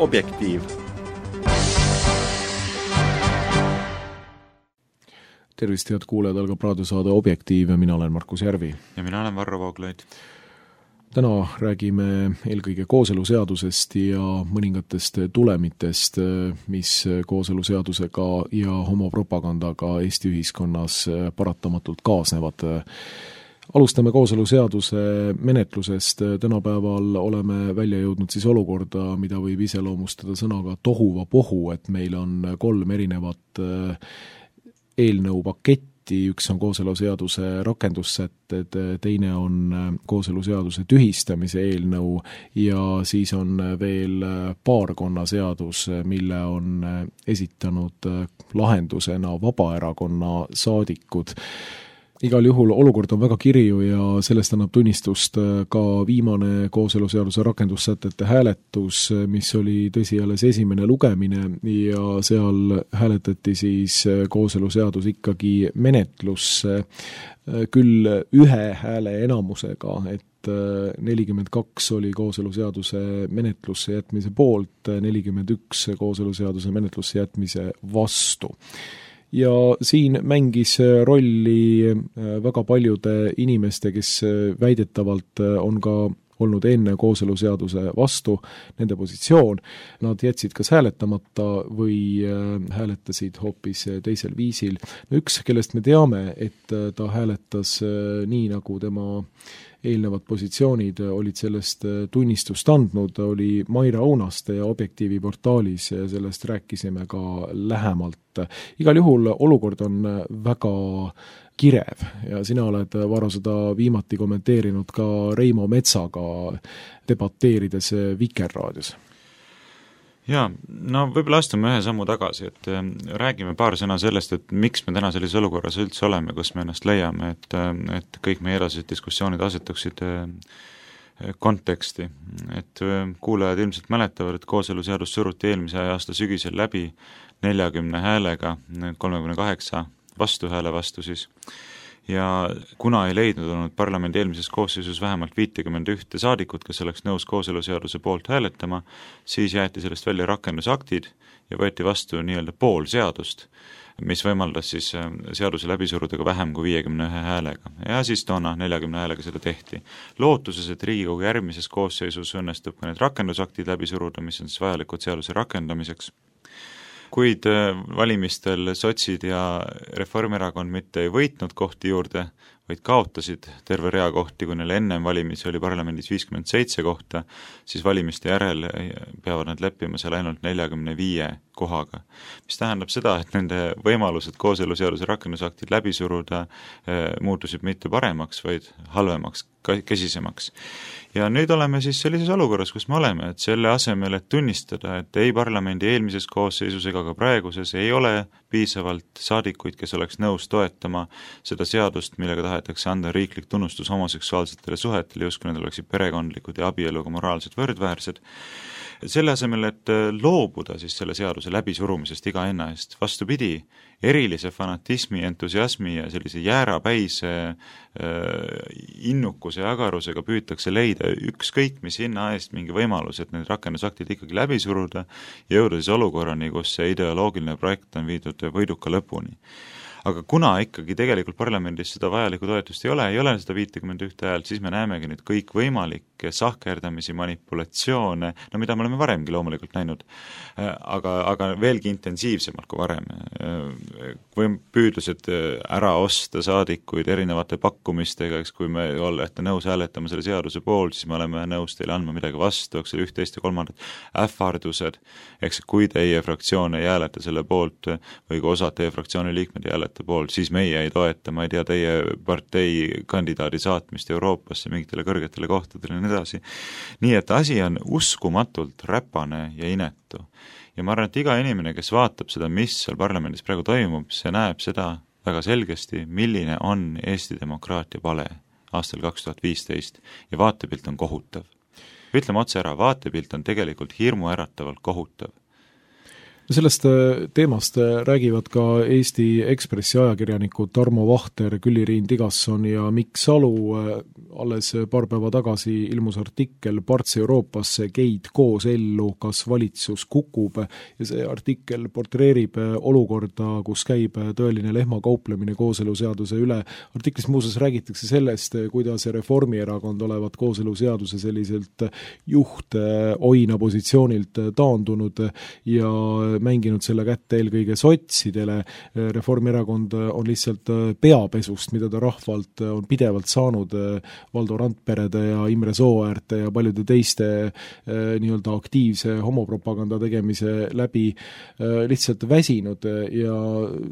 Objektiiv. Tervist, head kuulajad, algab raadiosaade Objektiiv ja mina olen Markus Järvi. Ja mina olen Varro Vooglaid. Täna räägime eelkõige kooseluseadusest ja mõningatest tulemitest, mis kooseluseadusega ja homopropagandaga Eesti ühiskonnas paratamatult kaasnevad. Alustame kooseluseaduse menetlusest. Tänapäeval oleme välja jõudnud siis olukorda, mida võib iseloomustada sõnaga tohuvapohu, et meil on 3 erinevat eelnõu paketti. Üks on kooseluseaduse rakendussätted, teine on kooseluseaduse tühistamise eelnõu ja siis on veel paarkonnaseadus, mille on esitanud lahendusena Vabaerakonna saadikud. Igal juhul olukord on väga kirju ja sellest annab tunnistust ka viimane kooseluseaduse rakendussätete hääletus, mis oli tõsi alles esimene lugemine ja seal hääletati siis kooseluseadus ikkagi menetlusse küll 1 hääle enamusega, et 42 oli kooseluseaduse menetlusse jätmise poolt, 41 kooseluseaduse menetlusse jätmise vastu. Ja siin mängis rolli väga paljude inimeste, kes väidetavalt on ka olnud enne kooseluseaduse vastu, nende positsioon. Nad jätsid kas hääletamata või hääletasid hoopis teisel viisil. Üks, kellest me teame, et ta hääletas nii, nagu tema eelnevad positsioonid olid sellest tunnistust andnud, oli Maira Aunaste ja Objektiivi portaalis ja sellest rääkisime ka lähemalt. Igal juhul olukord on väga kirev ja sina oled, Varro, seda viimati kommenteerinud ka Reimo Metsaga debateerides Vikerraadios. Jaa, no võib-olla astume 1 sammu tagasi, et räägime paar sõna sellest, et miks me täna sellises olukorras üldse oleme, kus me ennast leiame, et kõik meie edasised diskussioonid asetuksid konteksti. Et kuulajad ilmselt mäletavad, et kooseluseadus suruti eelmise aasta sügisel läbi 40 häälega, 38 vastuhääle vastu siis. Ja kuna ei leidnud olnud parlamendi eelmises koosseisus vähemalt 51 saadikut, kes oleks nõus kooseluseaduse poolt hääletama, siis jäeti sellest välja rakendusaktid ja võeti vastu nii-öelda pool seadust, mis võimaldas siis seaduse läbi suruda ka vähem kui 51 häälega. Ja siis toona 40 häälega seda tehti. Lootuses, et Riigikogu järgmises koosseisus õnnestub ka need rakendusaktid läbi suruda, mis on siis vajalikud seaduse rakendamiseks. Kuid valimistel sotsid ja Reformierakond mitte ei võitnud kohti juurde, vaid kaotasid terve rea kohti, kui neil ennem valimisi oli parlamendis 57 kohta, siis valimiste järel peavad nad leppima seal ainult 45 kohaga. Mis tähendab seda, et nende võimalused kooseluseaduse rakendusaktid läbi suruda muutusid mitte paremaks, vaid halvemaks, kesisemaks. Ja nüüd oleme siis sellises olukorras, kus me oleme, et selle asemel, et tunnistada, et ei parlamendi eelmises koosseisus ega ka praeguses ei ole piisavalt saadikuid, kes oleks nõus toetama seda seadust, millega tahetakse anda riiklik tunnustus homoseksuaalsetele suhetele, justkui need oleksid perekondlikud ja abieluga moraalselt võrdväärsed. Selle asemel, et loobuda siis selle seaduse läbisurumisest iga hinna eest, vastupidi, erilise fanatismi, entusiasmi ja sellise jäärapäise innukuse ja agarusega püütakse leida ükskõik mis hinna eest mingi võimalus, et need rakendusaktid ikkagi läbi suruda ja jõuda siis olukorrani, kus see ideoloogiline projekt on viidud võiduka lõpuni. Aga kuna ikkagi tegelikult parlamendis seda vajalikku toetust ei ole seda 51 häält, siis me näemegi nüüd kõik võimalikke sahkerdamisi, manipulatsioone, no mida me oleme varemgi loomulikult näinud, aga veelgi intensiivsemalt kui varem. Või püüdlused ära osta saadikuid erinevate pakkumistega, eks kui me olete nõus hääletama selle seaduse poolt, siis me oleme nõus teile andma midagi vastu, eks üht, teist ja kolmandat ähvardused, eks kui teie fraktsioon ei hääleta selle poolt või kui osa teie fraktsiooni liikmed ei hääleta poolt, siis meie ei toeta, ma ei tea, teie partei kandidaadi saatmist Euroopasse mingitele kõrgetele kohtadele ja nii edasi. Nii et asi on uskumatult räpane ja inetu. Ja ma arvan, et iga inimene, kes vaatab seda, mis seal parlamendis praegu toimub, see näeb seda väga selgesti, milline on Eesti demokraatia pale aastal 2015 ja vaatepilt on kohutav. Ütleme otse ära, vaatepilt on tegelikult hirmuäratavalt kohutav. Sellest teemast räägivad ka Eesti Ekspressi ajakirjanikud Tarmo Vahter, Külli-Riin Tigasson ja Mikk Salu. Alles paar päeva tagasi ilmus artikkel Parts Euroopasse, geid koos ellu, kas valitsus kukub, ja see artikkel portreerib olukorda, kus käib tõeline lehmakauplemine kooseluseaduse üle. Artiklis muuseas räägitakse sellest, kuidas Reformierakond olevat kooseluseaduse selliselt juht-oina positsioonilt taandunud ja mänginud selle kätte eelkõige sotsidele. Reformierakond on lihtsalt peapesust, mida ta rahvalt on pidevalt saanud Valdo Randperede ja Imre Sooäärte ja paljude teiste nii-öelda aktiivse homopropaganda tegemise läbi lihtsalt väsinud ja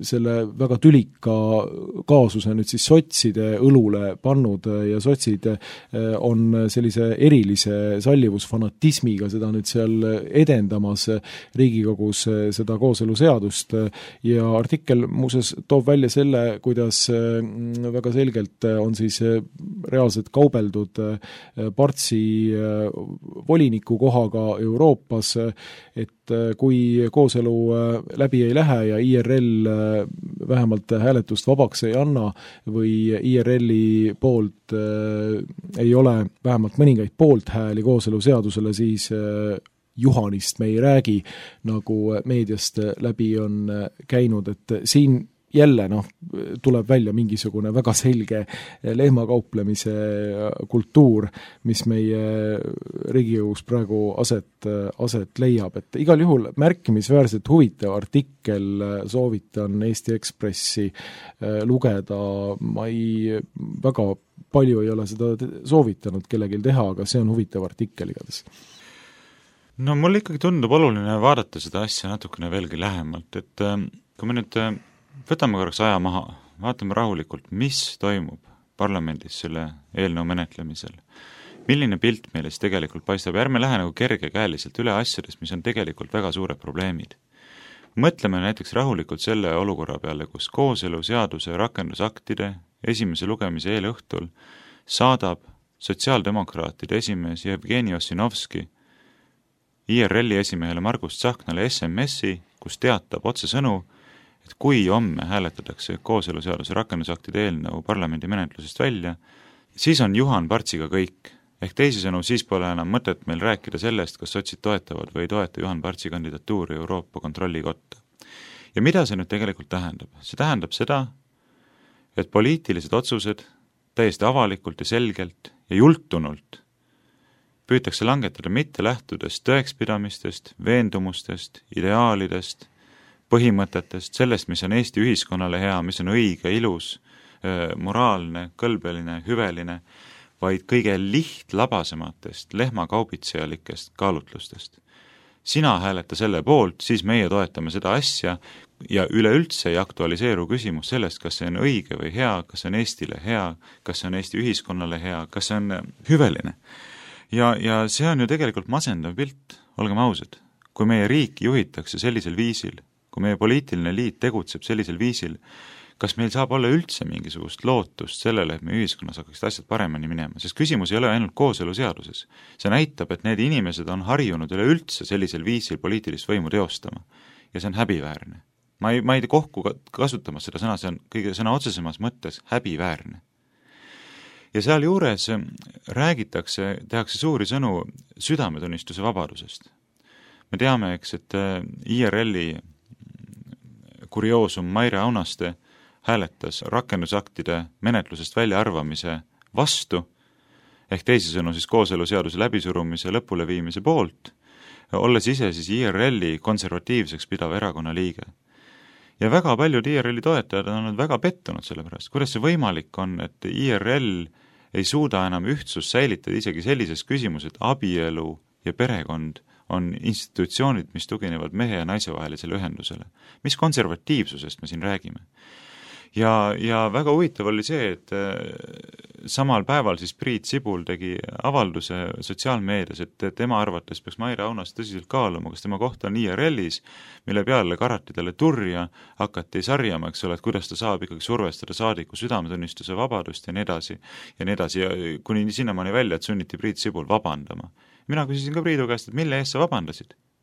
selle väga tülika kaasuse nüüd siis sotside õlule pannud ja sotsid on sellise erilise sallivusfanatismiga seda nüüd seal edendamas Riigikogus seda kooseluseadust ja artikkel muuseas toob välja selle, kuidas väga selgelt on siis reaalselt kaubeldud Partsi voliniku kohaga Euroopas, et kui kooselu läbi ei lähe ja IRL vähemalt hääletust vabaks ei anna või IRL-i poolt ei ole vähemalt mõningaid poolthääli kooseluseadusele, siis Juhanist me ei räägi, nagu meediast läbi on käinud, et siin jälle tuleb välja mingisugune väga selge lehmakauplemise kultuur, mis meie Riigikogus praegu aset leiab. Et igal juhul märkimisväärselt huvitav artikkel, soovitan Eesti Ekspressi lugeda, ma väga palju ei ole seda soovitanud kellelgi teha, aga see on huvitav artikkel igatahes. No mul ikkagi tundub oluline vaadata seda asja natukene veelgi lähemalt, et kui me nüüd võtame korraks aja maha, vaatame rahulikult, mis toimub parlamendis selle eelnõu menetlemisel. Milline pilt meile siis tegelikult paistab, ärme lähe nagu kergekäeliselt üle asjadest, mis on tegelikult väga suured probleemid. Mõtleme näiteks rahulikult selle olukorra peale, kus kooseluseaduse rakendusaktide esimese lugemise eelõhtul saadab sotsiaaldemokraatide esimees Jevgeni Ossinovski IRL-i esimehele Margus Tsahknale SMS-i, kus teatab otsesõnu, et kui homme hääletatakse kooseluseaduse rakendusaktide eelnõu parlamendi menetlusest välja, siis on Juhan Partsiga kõik. Ehk teisisõnu, siis pole enam mõtet meil rääkida sellest, kas sotsid toetavad või ei toeta Juhan Partsi kandidatuuri Euroopa kontrollikotta. Ja mida see nüüd tegelikult tähendab? See tähendab seda, et poliitilised otsused täiesti avalikult ja selgelt ja jultunult püütakse langetada mitte lähtudes tõekspidamistest, veendumustest, ideaalidest, põhimõtetest, sellest, mis on Eesti ühiskonnale hea, mis on õige, ilus, moraalne, kõlbeline, hüveline, vaid kõige lihtlabasematest lehmakaubitsejalikest kaalutlustest. Sina hääleta selle poolt, siis meie toetame seda asja ja üleüldse ei aktualiseeru küsimus sellest, kas see on õige või hea, kas see on Eestile hea, kas see on Eesti ühiskonnale hea, kas see on hüveline. Ja see on ju tegelikult masendav pilt, olgem ausad. Kui meie riiki juhitakse sellisel viisil, kui meie poliitiline liit tegutseb sellisel viisil, kas meil saab olla üldse mingisugust lootust sellele, et meie ühiskonnas hakkaksid asjad paremini minema, sest küsimus ei ole ainult kooseluseaduses. See näitab, et need inimesed on harjunud üleüldse sellisel viisil poliitilist võimu teostama ja see on häbiväärne. Ma ei kohku kasutama seda sõna, see on kõige sõna otsesemas mõttes häbiväärne. Ja seal juures tehakse suuri sõnu südametunnistuse vabadusest. Me teame, eks, et IRL-i kurioosum Maire Aunaste hääletas rakendusaktide menetlusest väljaarvamise vastu, ehk teisisõnu siis kooseluseaduse läbisurumise lõpuleviimise poolt, olles ise siis IRL-i konservatiivseks pidav erakonna liige. Ja väga paljud IRL-i toetajad on väga pettunud selle pärast, kuidas see võimalik on, et IRL ei suuda enam ühtsust säilitada isegi sellises küsimus, et abielu ja perekond on institutsioonid, mis tuginevad mehe ja naise vahelisele ühendusele. Mis konservatiivsusest me siin räägime? Ja väga huvitav oli see, et samal päeval siis Priit Sibul tegi avalduse sotsiaalmeedias, et tema arvates peaks Maire Aunas tõsiselt kaaluma, kas tema koht on IRL-is, mille peale karati talle turja, hakati sarjama, eks ole, et kuidas ta saab ikkagi survestada saadiku südametunnistuse vabadust ja nii edasi, ja kuni sinnamaani välja, et sunniti Priit Sibul vabandama. Mina küsisin ka Priidu käest, et mille eest sa vabandasid?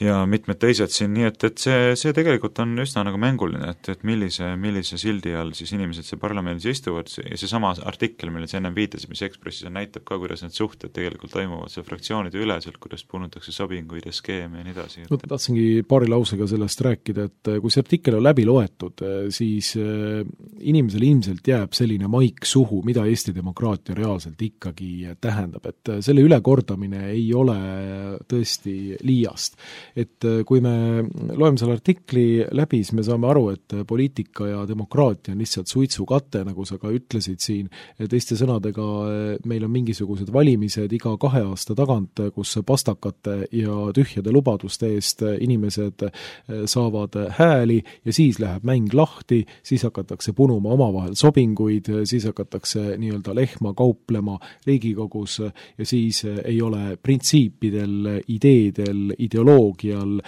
ja mitmed teised siin, nii et see tegelikult on üsna nagu mänguline, et millise sildi all siis inimesed seal parlamendis istuvad ja seesama artikkel, mille sa ennem viitasid, mis Ekspressis on, näitab ka, kuidas need suhted tegelikult toimuvad seal fraktsioonide üleselt, kuidas punutakse sobinguid ja skeeme ja nii edasi. No tahtsingi paari lausega sellest rääkida, et kui see artikkel on läbi loetud, siis inimesel ilmselt jääb selline maik suhu, mida Eesti demokraatia reaalselt ikkagi tähendab, et selle ülekordamine ei ole tõesti liiast. Et kui me loeme selle artikli läbi, siis me saame aru, et poliitika ja demokraatia on lihtsalt suitsukate, nagu sa ka ütlesid siin, teiste sõnadega meil on mingisugused valimised iga 2 aasta tagant, kus pastakate ja tühjade lubaduste eest inimesed saavad hääli ja siis läheb mäng lahti, siis hakatakse punuma omavahel sobinguid, siis hakatakse nii-öelda lehma kauplema Riigikogus ja siis ei ole printsiipidel, ideedel, ideoloogial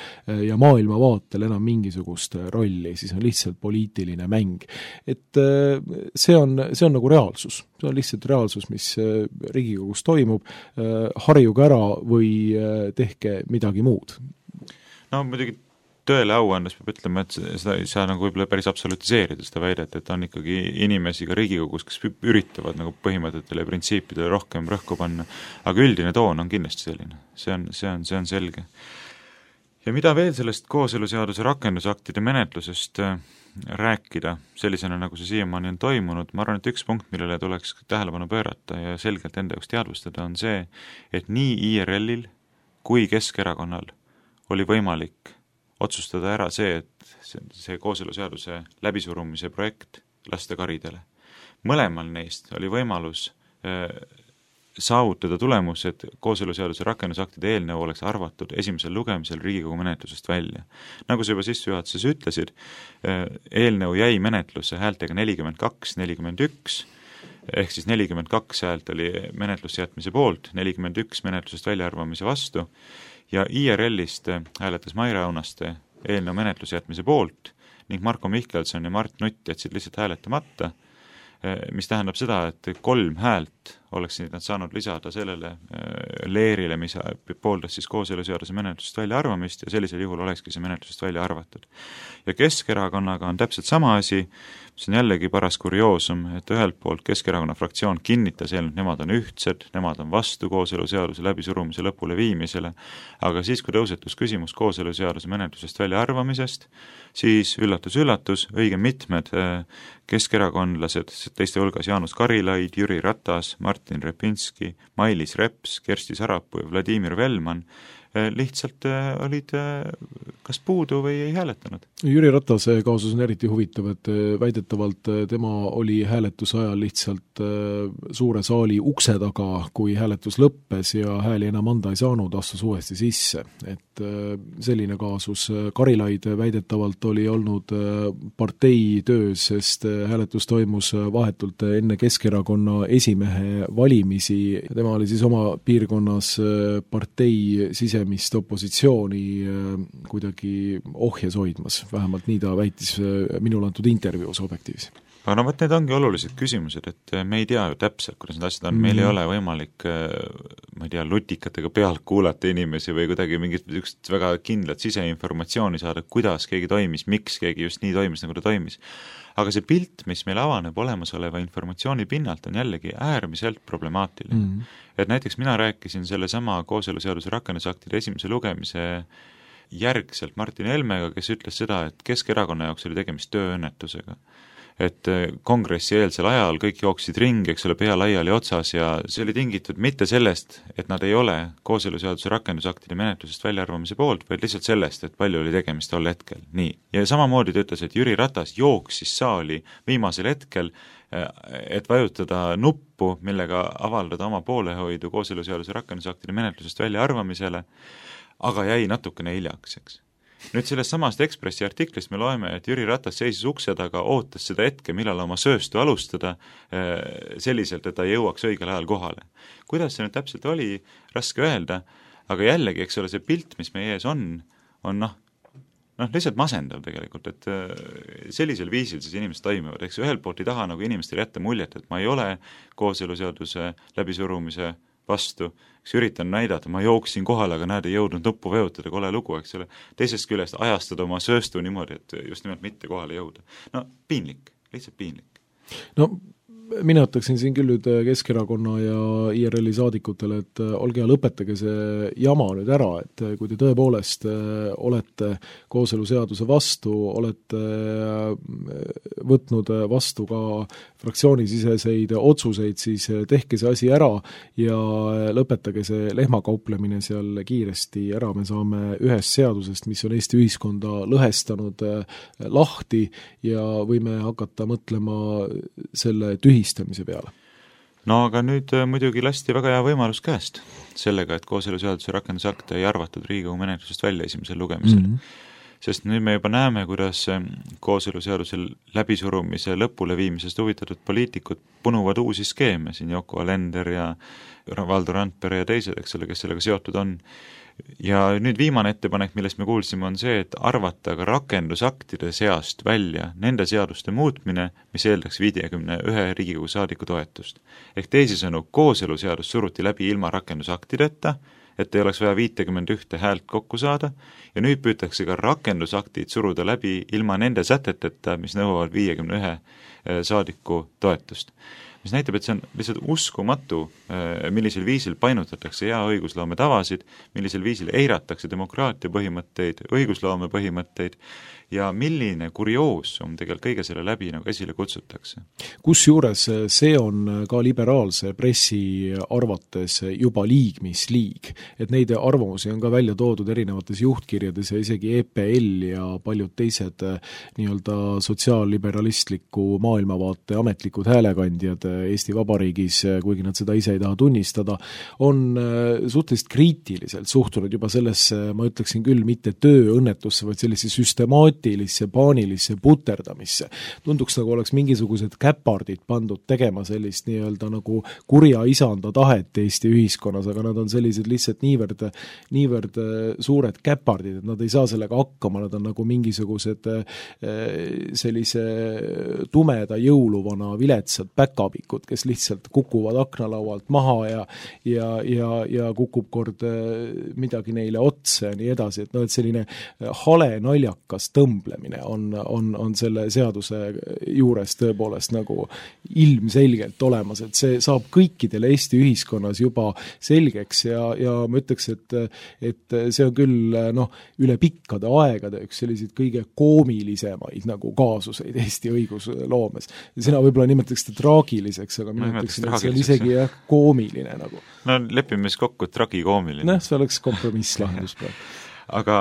ja maailmavaatel enam mingisugust rolli, siis on lihtsalt poliitiline mäng. Et see on nagu reaalsus. See on lihtsalt reaalsus, mis Riigikogus toimub, harjuge ära või tehke midagi muud. No muidugi tõele au andes peab ütlema, et seda ei saa nagu võib-olla päris absolutiseerida seda väidet, et on ikkagi inimesi ka Riigikogus, kes üritavad nagu põhimõtetele ja printsiipidele rohkem rõhku panna, aga üldine toon on kindlasti selline. See on selge. Ja mida veel sellest kooseluseaduse rakendusaktide menetlusest rääkida, sellisena nagu see siiamaani on toimunud, ma arvan, et üks punkt, millele tuleks tähelepanu pöörata ja selgelt enda jaoks teadvustada, on see, et nii IRL-il kui Keskerakonnal oli võimalik otsustada ära see, et see kooseluseaduse läbisurumise projekt lasta karidele. Mõlemal neist oli võimalus saavutada tulemus, et kooseluseaduse rakendusaktide eelnõu oleks arvatud esimesel lugemisel Riigikogu menetlusest välja. Nagu sa juba sissejuhatuses ütlesid, eelnõu jäi menetlusse häältega 42-41, ehk siis 42 häält oli menetlusse jätmise poolt, 41 menetlusest väljaarvamise vastu ja IRL-ist hääletas Maire Aunaste eelnõu menetluse jätmise poolt ning Marko Mihkelson ja Mart Nutt jätsid lihtsalt hääletamata, mis tähendab seda, et 3 häält oleksid nad saanud lisada sellele leerile, mis pooldas siis kooseluseaduse menetlusest välja arvamist ja sellisel juhul olekski see menetlusest välja arvatud. Ja Keskerakonnaga on täpselt sama asi, mis on jällegi paras kurioosum, et ühelt poolt Keskerakonna fraktsioon kinnitas eelnõu, et nemad on ühtsed, nemad on vastu kooseluseaduse läbisurumise lõpule viimisele, aga siis, kui tõusetus küsimus kooseluseaduse menetlusest välja arvamisest, siis üllatus, õige mitmed keskerakondlased, teiste hulgas Jaanus Karilaid, Jüri Ratas, Martin Repinski, Mailis Reps, Kersti Sarapuu ja Vladimir Velman lihtsalt olid kas puudu või ei hääletanud. Jüri Ratase kaasus on eriti huvitav, et väidetavalt tema oli hääletuse ajal lihtsalt suure saali ukse taga, kui hääletus lõppes ja hääli enam anda ei saanud, astus uuesti sisse. Et selline kaasus. Karilaid väidetavalt oli olnud partei töös, sest hääletus toimus vahetult enne Keskerakonna esimehe valimisi. Tema oli siis oma piirkonnas partei sisemist opositsiooni kuidagi ohjes hoidmas, vähemalt nii ta väitis minule antud intervjuus Objektiivis. Aga no võt, need ongi olulised küsimused, et me ei tea ju täpselt, kuidas need asjad on, meil ei ole võimalik, ma ei tea, lutikatega pealt kuulata inimesi või kuidagi mingit väga kindlat siseinformatsiooni saada, kuidas keegi toimis, miks keegi just nii toimis, nagu ta toimis. Aga see pilt, mis meil avaneb olemasoleva informatsiooni pinnalt, on jällegi äärmiselt problemaatiline. Et näiteks mina rääkisin selle sama kooseluseaduse rakendusaktide esimese lugemise järgselt Martin Helmega, kes ütles seda, et Keskerakonna jaoks oli tegemist tööõnnetusega. Et kongressi eelsel ajal kõik jooksid ringi, eks ole, pea laiali otsas ja see oli tingitud mitte sellest, et nad ei ole kooseluseaduse rakendusaktide menetlusest väljaarvamise poolt, vaid lihtsalt sellest, et palju oli tegemist tol hetkel. Nii. Ja samamoodi ta ütles, et Jüri Ratas jooksis saali viimasel hetkel, et vajutada nuppu, millega avaldada oma poolehoidu kooseluseaduse rakendusaktide menetlusest väljaarvamisele, aga jäi natukene hiljaks, eks. Nüüd sellest samast Ekspressi artiklist me loeme, et Jüri Ratas seisis ukse taga, ootas seda hetke, millal oma sööstu alustada selliselt, et ta jõuaks õigel ajal kohale. Kuidas see nüüd täpselt oli, raske öelda, aga jällegi, eks ole, see pilt, mis meie ees on lihtsalt masendav tegelikult, et sellisel viisil siis inimesed toimivad, eks ühelt poolt ei taha nagu inimestele jätta muljet, et ma ei ole kooseluseaduse läbisurumise vastu, kes üritan näidata, ma jooksin kohale, aga näed, ei jõudnud nuppu vajutada, kole lugu, eks ole. Teisest küljest ajastada oma sööstu niimoodi, et just nimelt mitte kohale jõuda. No piinlik, lihtsalt piinlik. No mina ütleksin siin küll nüüd Keskerakonna ja IRL-i saadikutele, et olge ja lõpetage see jama nüüd ära, et kui te tõepoolest olete kooseluseaduse vastu, olete võtnud vastu ka fraktsioonisiseseid otsuseid, siis tehke see asi ära ja lõpetage see lehmakauplemine seal kiiresti ära, me saame ühest seadusest, mis on Eesti ühiskonda lõhestanud, lahti ja võime hakata mõtlema selle tühistamise peale. No aga nüüd muidugi lasti väga hea võimalus käest sellega, et kooseluseaduse rakendusakte ei arvatud Riigikogu menetlusest välja esimesel lugemisel. Sest nüüd me juba näeme, kuidas kooseluseaduse läbisurumise lõpule viimisest huvitatud poliitikud punuvad uusi skeeme, siin Yoko Alender ja Valdo Randpere ja teised, eks ole, kes sellega seotud on. Ja nüüd viimane ettepanek, millest me kuulsime, on see, et arvata ka rakendusaktide seast välja nende seaduste muutmine, mis eeldaks 51 Riigikogu saadiku toetust. Ehk teisisõnu, kooseluseadus suruti läbi ilma rakendusaktideta, et ei oleks vaja 51 häält kokku saada, ja nüüd püütakse ka rakendusaktid suruda läbi ilma nende säteteta, mis nõuavad 51 saadiku toetust. Mis näitab, et see on lihtsalt uskumatu, millisel viisil painutatakse hea õigusloome tavasid, millisel viisil eiratakse demokraatia põhimõtteid, õigusloome põhimõtteid ja milline kurioosum tegelikult kõige selle läbi nagu esile kutsutakse. Kusjuures see on ka liberaalse pressi arvates juba liig, mis liig. Et neid arvamusi on ka välja toodud erinevates juhtkirjades ja isegi EPL ja paljud teised nii-öelda sotsiaalliberalistliku maailmavaate ametlikud häälekandjad Eesti Vabariigis, kuigi nad seda ise ei taha tunnistada, on suhteliselt kriitiliselt suhtunud juba sellesse, ma ütleksin küll, mitte tööõnnetusse, vaid sellise süstemaatilisse, paanilisse puterdamisse. Tunduks nagu oleks mingisugused käpardid pandud tegema sellist nii-öelda nagu kurja isanda tahet Eesti ühiskonnas, aga nad on sellised lihtsalt niivõrd suured käpardid, et nad ei saa sellega hakkama, nad on nagu mingisugused sellise tumeda jõuluvana viletsad päkapikud, kes lihtsalt kukuvad aknalaualt maha ja kukub kord midagi neile otsa ja nii edasi, et et selline hale naljakas tõmblemine on selle seaduse juures tõepoolest nagu ilmselgelt olemas, et see saab kõikidele Eesti ühiskonnas juba selgeks ja ma ütleks, et see on küll üle pikkade aegade üks selliseid kõige koomilisemaid nagu kaasuseid Eesti õigusloomes. Sina võib-olla nimetaks seda traagiliseks, aga mina ütleksin, et see on isegi koomiline nagu. No lepime siis kokku, et tragikoomiline. See oleks kompromisslahendus praegu. Aga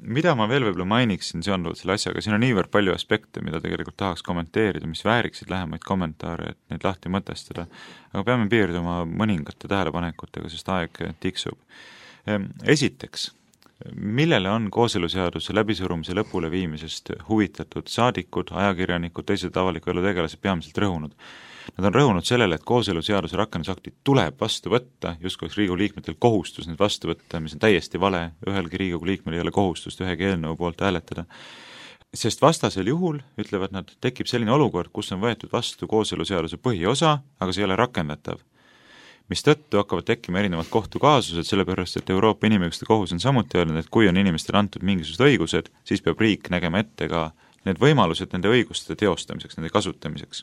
mida ma veel võib-olla mainiksin seonduvalt selle asjaga, siin on niivõrd palju aspekte, mida tegelikult tahaks kommenteerida, mis vääriksid lähemaid kommentaare, et neid lahti mõtestada, aga peame piirduma mõningate tähelepanekutega, sest aeg tiksub. Esiteks, millele on kooseluseaduse läbisurumise lõpule viimisest huvitatud saadikud, ajakirjanikud, teised avaliku elu tegelased peamiselt rõhunud? Nad on rõhunud sellele, et kooseluseaduse rakendusaktid tuleb vastu võtta, justkui oleks Riigikogu liikmetel kohustus need vastu võtta, mis on täiesti vale, ühelgi Riigikogu liikmel ei ole kohustust ühegi eelnõu poolt hääletada. Sest vastasel juhul, ütlevad nad, tekib selline olukord, kus on võetud vastu kooseluseaduse põhiosa, aga see ei ole rakendatav. Mis tõttu hakkavad tekkima erinevad kohtukaasused, sellepärast, et Euroopa Inimõiguste Kohus on samuti öelnud, et kui on inimestele antud mingisugused õigused, siis peab riik nägema ette ka need võimalused nende õiguste teostamiseks, nende kasutamiseks.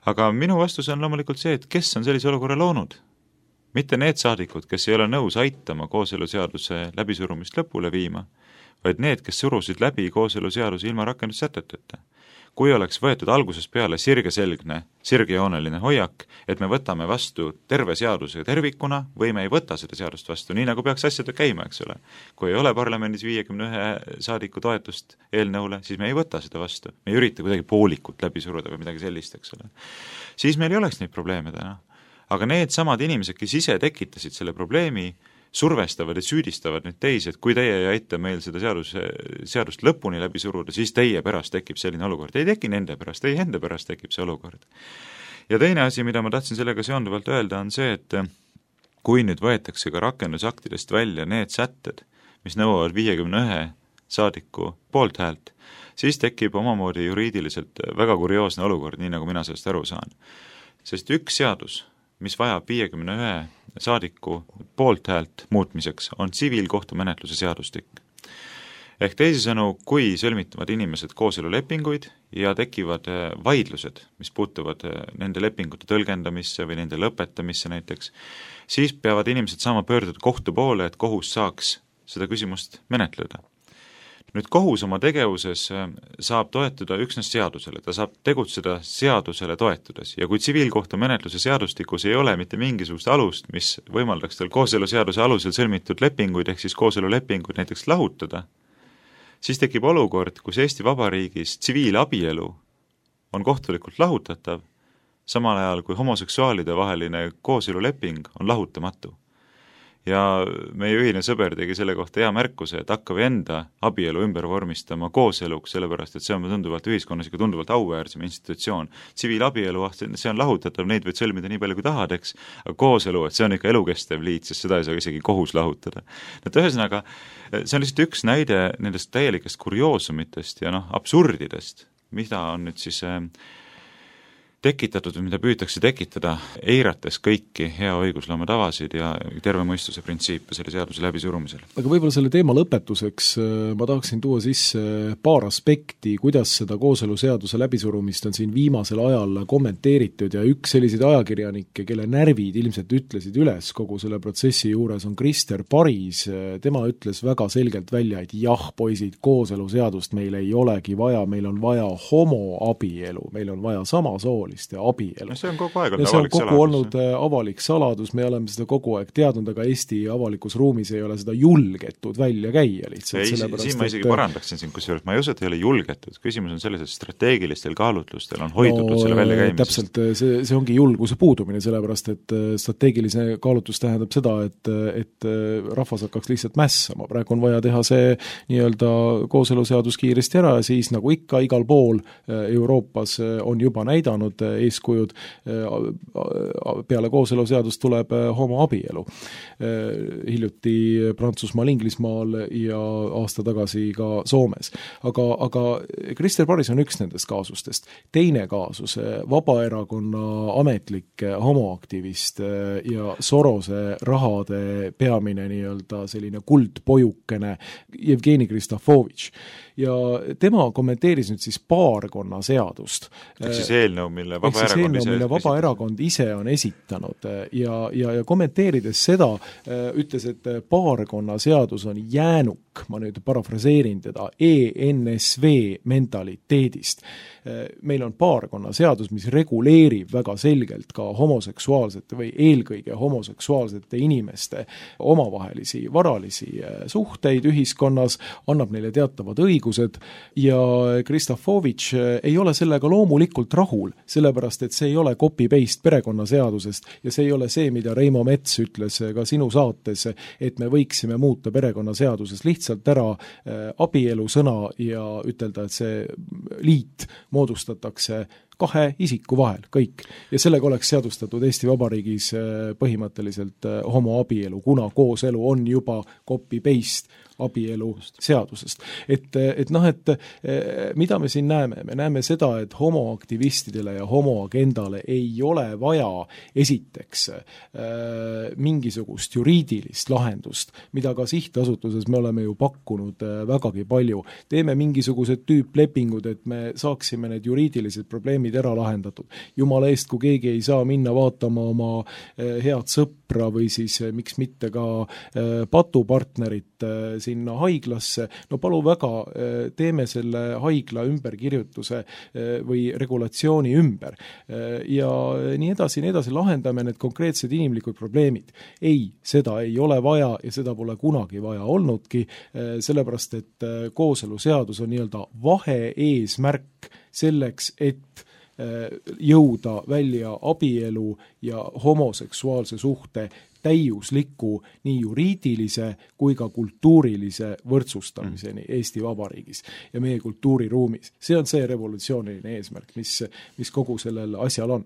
Aga minu vastus on loomulikult see, et kes on sellise olukorra loonud? Mitte need saadikud, kes ei ole nõus aitama kooseluseaduse läbisurumist lõpule viima, vaid need, kes surusid läbi kooseluseaduse ilma rakendussäteteta. Kui oleks võetud algusest peale sirgjooneline hoiak, et me võtame vastu terve seaduse tervikuna või me ei võta seda seadust vastu, nii nagu peaks asjad käima, eks ole. Kui ei ole parlamendis 51 saadiku toetust eelnõule, siis me ei võta seda vastu. Me ei ürita kuidagi poolikut läbi suruda või midagi sellist, eks ole. Siis meil ei oleks neid probleeme täna. Aga need samad inimesed, kes ise tekitasid selle probleemi, survestavad ja süüdistavad nüüd teisi, et kui teie ei aita meil seda seadust lõpuni läbi suruda, siis teie pärast tekib selline olukord. Ei teki nende pärast, ei enda pärast tekib see olukord. Ja teine asi, mida ma tahtsin sellega seonduvalt öelda, on see, et kui nüüd võetakse ka rakendusaktidest välja need sätted, mis nõuavad 51 saadiku poolthäält, siis tekib omamoodi juriidiliselt väga kurioosne olukord, nii nagu mina sellest aru saan. Sest üks seadus mis vajab 51 saadiku poolthäält muutmiseks, on tsiviilkohtumenetluse seadustik. Ehk teisisõnu, kui sõlmitavad inimesed kooselulepinguid ja tekivad vaidlused, mis puutuvad nende lepingute tõlgendamisse või nende lõpetamisse näiteks, siis peavad inimesed saama pöörduda kohtu poole, et kohus saaks seda küsimust menetleda. Nüüd kohus oma tegevuses saab toetuda üksnes seadusele, ta saab tegutseda seadusele toetudes ja kui tsiviilkohtumenetluse seadustikus ei ole mitte mingisugust alust, mis võimaldaks tal kooseluseaduse alusel sõlmitud lepinguid ehk siis kooselulepinguid näiteks lahutada, siis tekib olukord, kus Eesti Vabariigis tsiviilabielu on kohtulikult lahutatav, samal ajal kui homoseksuaalide vaheline kooseluleping on lahutamatu. Ja meie ühine sõber tegi selle kohta hea märkuse, et hakka või enda abielu ümber vormistama kooseluks, sellepärast et see on tunduvalt ühiskonnas ikka tunduvalt auväärsem institutsioon. Tsiviilabielu, see on lahutatav, neid võid sõlmida nii palju kui tahad, eks, aga kooselu, et see on ikka elukestev liit, sest seda ei saa isegi kohus lahutada. Et ühesõnaga, see on lihtsalt üks näide nendest täielikest kurioosumitest ja absurdidest, mida on nüüd siis tekitatud või mida püütakse tekitada, eirates kõiki hea õigusloome tavasid ja terve mõistuse printsiipe selle seaduse läbisurumisel. Aga võib-olla selle teema lõpetuseks ma tahaksin tuua sisse paar aspekti, kuidas seda kooseluseaduse läbisurumist on siin viimasel ajal kommenteeritud ja üks selliseid ajakirjanikke, kelle närvid ilmselt ütlesid üles kogu selle protsessi juures, on Krister Paris. Tema ütles väga selgelt välja, et jah, poisid, kooseluseadust meil ei olegi vaja, meil on vaja homoabielu, meil on vaja samasoolist ja abielu. See on kogu aeg olnud avalik saladus, me oleme seda kogu aeg teadnud, aga Eesti avalikus ruumis ei ole seda julgetud välja käia lihtsalt. Siin ma isegi parandaksin siin, kusjuures ma ei usu, et ei ole julgetud. Küsimus on selles, et strateegilistel kaalutlustel on hoidutud selle välja käimisest. Täpselt, see ongi julguse puudumine, sellepärast et strateegilise kaalutlus tähendab seda, et rahvas hakkaks lihtsalt mässama. Praegu on vaja teha see nii-öelda kooseluseadus kiiresti ära ja siis nagu ikka igal pool Euroopas on juba näidanud eeskujud, peale kooseluseadust tuleb homoabielu. Hiljuti Prantsusmaal, Inglismaal ja aasta tagasi ka Soomes. Aga Krister Paris on üks nendest kaasustest. Teine kaasus, Vabaerakonna ametlik homoaktivist ja Sorose rahade peamine nii-öelda selline kuldpojukene Jevgeni Kristofovitš. Ja tema kommenteeris nüüd siis paarkonna seadust. Ehk siis eelnõu, mille Vabaerakond ise on esitanud ja kommenteerides seda, ütles, et paarkonna seadus on jäänuk, ma nüüd parafraseerin teda, ENSV mentaliteedist. Meil on paarkonna seadus, mis reguleerib väga selgelt ka homoseksuaalsete või eelkõige homoseksuaalsete inimeste omavahelisi varalisi suhteid ühiskonnas, annab neile teatavad õigused ja Kristofovitš ei ole sellega loomulikult rahul, sellepärast et see ei ole copy-paste perekonnaseadusest ja see ei ole see, mida Reimo Mets ütles ka sinu saates, et me võiksime muuta perekonnaseaduses lihtsalt ära abielu sõna ja ütelda, et see liit moodustatakse kahe isiku vahel, kõik. Ja sellega oleks seadustatud Eesti Vabariigis põhimõtteliselt homoabielu, kuna kooselu on juba copy-paste abielu seadusest. Et mida me siin näeme? Me näeme seda, et homoaktivistidele ja homoagendale ei ole vaja esiteks mingisugust juriidilist lahendust, mida ka sihtasutuses me oleme ju pakkunud vägagi palju. Teeme mingisugused tüüplepingud, et me saaksime need juriidilised probleemid ära lahendatud. Jumala eest, kui keegi ei saa minna vaatama oma head sõpra või siis miks mitte ka patupartnerit sinna haiglasse, no palu väga, teeme selle haigla ümberkirjutuse või regulatsiooni ümber ja nii edasi, lahendame need konkreetsed inimlikud probleemid. Ei, seda ei ole vaja ja seda pole kunagi vaja olnudki, sellepärast et kooseluseadus on nii-öelda vahe-eesmärk selleks, et jõuda välja abielu ja homoseksuaalse suhte täiusliku nii juriidilise kui ka kultuurilise võrdsustamiseni Eesti Vabariigis ja meie kultuuriruumis. See on see revolutsiooniline eesmärk, mis kogu sellel asjal on.